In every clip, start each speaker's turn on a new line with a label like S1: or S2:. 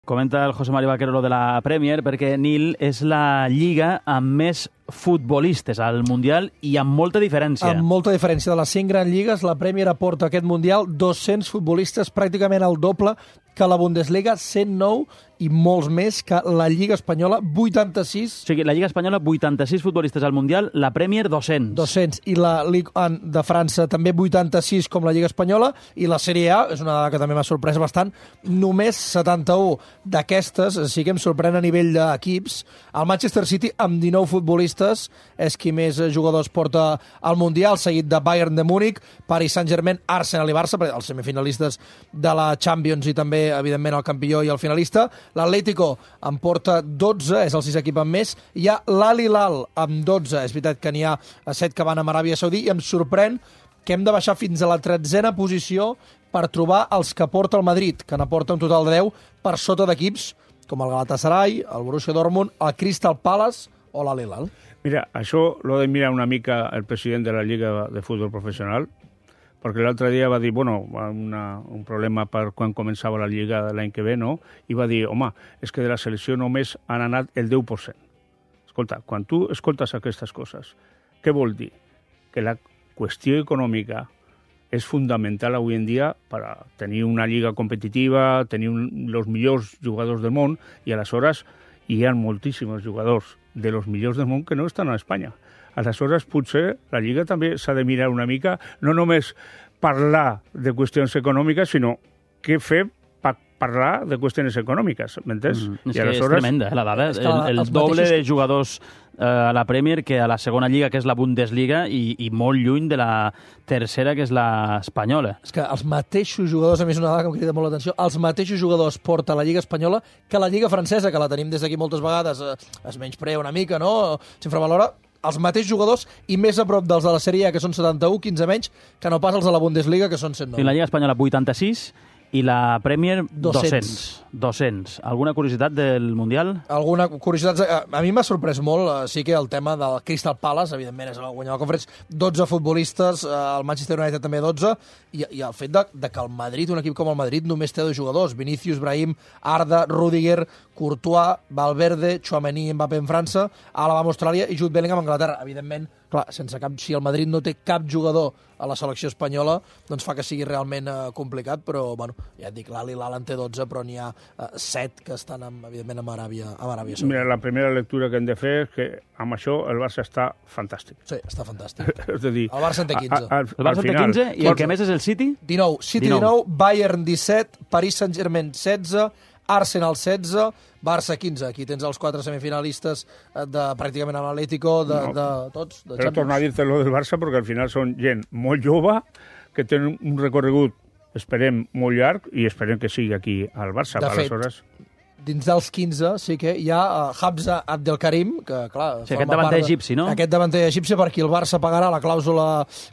S1: Comenta el José Mario Vaquero lo de la Premier, perquè Nil és la lliga amb més futbolistes al Mundial i amb molta diferència.
S2: Amb molta diferència. De les 100 grans lligues, la Premier aporta a aquest Mundial 200 futbolistes, pràcticament el doble que la Bundesliga, 109 i molts més que la Lliga Espanyola, 86.
S1: O sigui, la Lliga Espanyola, 86 futbolistes al Mundial, la Premier, 200.
S2: 200. I la Ligue 1 de França també 86 com la Lliga Espanyola, i la Sèrie A, és una dada que també m'ha sorprès bastant, només 71 d'aquestes, sí que em sorprèn a nivell d'equips. El Manchester City, amb 19 futbolistes, és qui més jugadors porta al Mundial, seguit de Bayern de Múnich, Paris Saint-Germain, Arsenal i Barça, els semifinalistes de la Champions i també, evidentment, el campió i el finalista. L'Atlético en porta 12, és el 6 equip amb més. Hi ha l'Al Hilal amb 12, és veritat que n'hi ha 7 que van a Aràbia Saudí, i em sorprèn que hem de baixar fins a la 13a posició per trobar els que porta el Madrid, que n'aporta un total de 10 per sota d'equips com el Galatasaray, el Borussia Dortmund, el Crystal Palace o l'Al Hilal.
S3: Mira, això lo de mirar una mica el president de la Lliga de Futbol Professional, perquè l'altre dia va dir, bueno, un problema per quan començava la Lliga l'any que ve, no? I va dir, home, és que de la selecció només han anat el 10%. Escolta, quan tu escoltes aquestes coses, què vol dir? Que la qüestió econòmica és fundamental avui en dia per a tenir una lliga competitiva, tenir els millors jugadors del món, i aleshores hi ha moltíssims jugadors de los millors del món que no estan a Espanya. Aleshores, potser la Lliga també s'ha de mirar una mica, no només parlar de qüestions econòmiques, sinó què fer per parlar de qüestions econòmiques, m'entens?
S1: És que és tremenda, la dada. El doble de jugadors a la Premier que a la segona lliga, que és la Bundesliga, i molt lluny de la tercera, que és la espanyola.
S2: És que els mateixos jugadors, a mi és una dada que em crida molt l'atenció, els mateixos jugadors porta la Lliga Espanyola que la Lliga Francesa, que la tenim des d'aquí moltes vegades, es menysprea una mica, no? S'infravalora. Els mateixos jugadors i més a prop dels de la Sèrie A, que són 71, 15 menys, que no pas els de la Bundesliga, que són 109.
S1: I la Lliga Espanyola 86 i la Premier 200. Alguna curiositat del Mundial?
S2: Alguna curiositat? A mi m'ha sorprès molt, sí que el tema del Crystal Palace, evidentment és el guanyador de la Conference, 12 futbolistes, el Manchester United també 12, i el fet de que el Madrid, un equip com el Madrid, només té 2 jugadors, Vinícius, Brahim, Arda, Rüdiger, Courtois, Valverde, Tchouaméni, Mbappé en França, Alaba amb Austràlia i Jude Bellingham amb Anglaterra. Evidentment, clar, si el Madrid no té cap jugador a la selecció espanyola, doncs fa que sigui realment complicat, però, bueno, ja et dic, l'Al Hilal en té 12, però n'hi ha 7 que estan, evidentment, amb Aràbia Saudita.
S3: Mira, la primera lectura que hem de fer és que amb això el Barça està fantàstic.
S2: Sí, està fantàstic.
S3: És a dir,
S2: el Barça en té 15.
S1: El Barça en té 15 i el que més és el City?
S2: 19. City 19, Bayern 17, Paris Saint-Germain 16, Arsenal 16, Barça 15. Aquí tens els 4 semifinalistes pràcticament a l'Atlético, de tots.
S3: Però tornar a dir-te lo del Barça, perquè al final són gent molt jove, que tenen un recorregut, esperem, molt llarg, i esperem que sigui aquí al Barça.
S2: De fet, dins dels 15 sí que hi ha Hamza Abdelkarim, que, clar...
S1: Sí, aquest davanter egipci, no?
S2: Aquest davanter egipci, per qui el Barça pagarà la clàusula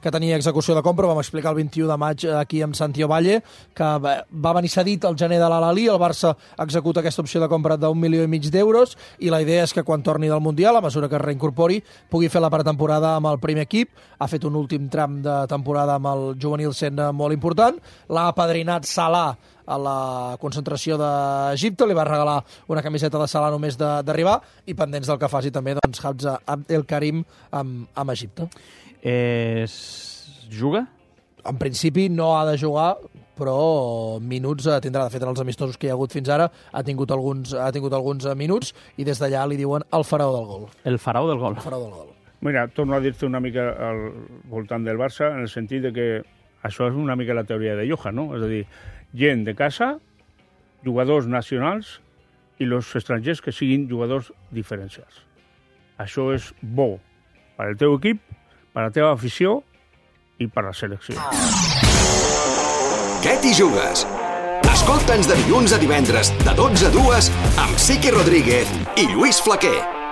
S2: que tenia execució de compra. Vam explicar el 21 de maig aquí amb Santi Ovalle, que va venir cedit al gener de l'Al-Ahly, el Barça executa aquesta opció de compra d'1,5 milió d'euros, i la idea és que quan torni del Mundial, a mesura que es reincorpori, pugui fer la pretemporada amb el primer equip. Ha fet un últim tram de temporada amb el juvenil sent molt important. L'ha apadrinat Salah a la concentració d'Egipte, li va regalar una camiseta de Salah només d'arribar, i pendents del que faci també doncs, Hamza Abdelkarim amb Egipte.
S1: Juga?
S2: En principi no ha de jugar, però minuts tindrà. De fet, en els amistosos que hi ha hagut fins ara ha tingut alguns minuts, i des d'allà li diuen el faraó del gol.
S1: El faraó del gol.
S2: El faraó del gol.
S3: Mira, torno a dir-te una mica al voltant del Barça, en el sentit de que això és una mica la teoria de Johan, no? És a dir, gent de casa, jugadors nacionals i els estrangers que siguin jugadors diferencials. Això és bo per al teu equip, per a la teva afició i per a la selecció.
S4: Què t'hi jugues? Escolta'ns de dilluns a divendres, de 12 a 2, amb Siqui Rodríguez i Lluís Flaquer.